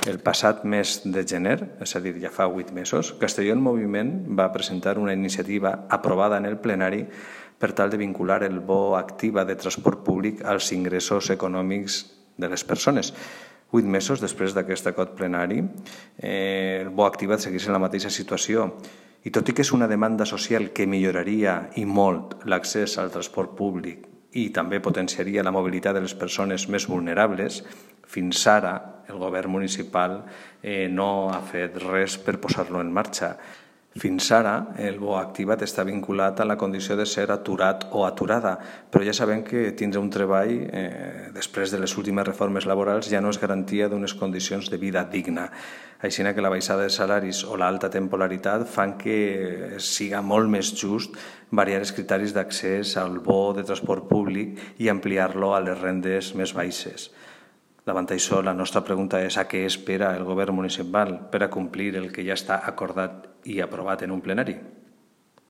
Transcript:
El passat mes de gener, és a dir, ja fa 8 mesos, Castelló en Moviment va presentar una iniciativa aprovada en el plenari per tal de vincular el bo activa de transport públic als ingressos econòmics de les persones. 8 mesos després d'aquest acord plenari, el bo activa segueix en la mateixa situació. I tot i que és una demanda social que milloraria i molt l'accés al transport públic i també potenciaria la mobilitat de les persones més vulnerables, fins ara el govern municipal no ha fet res per posar-lo en marxa. Fins ara, el bo activat està vinculat a la condició de ser aturat o aturada, però ja sabem que tindre un treball, després de les últimes reformes laborals, ja no és garantia d'unes condicions de vida digna. Així que la baixada de salaris o l'alta temporalitat fan que siga molt més just variar els criteris d'accés al bo de transport públic i ampliar-lo a les rendes més baixes. Davant això, la nostra pregunta és a què espera el govern municipal per a complir el que ja està acordat i aprovat en un plenari.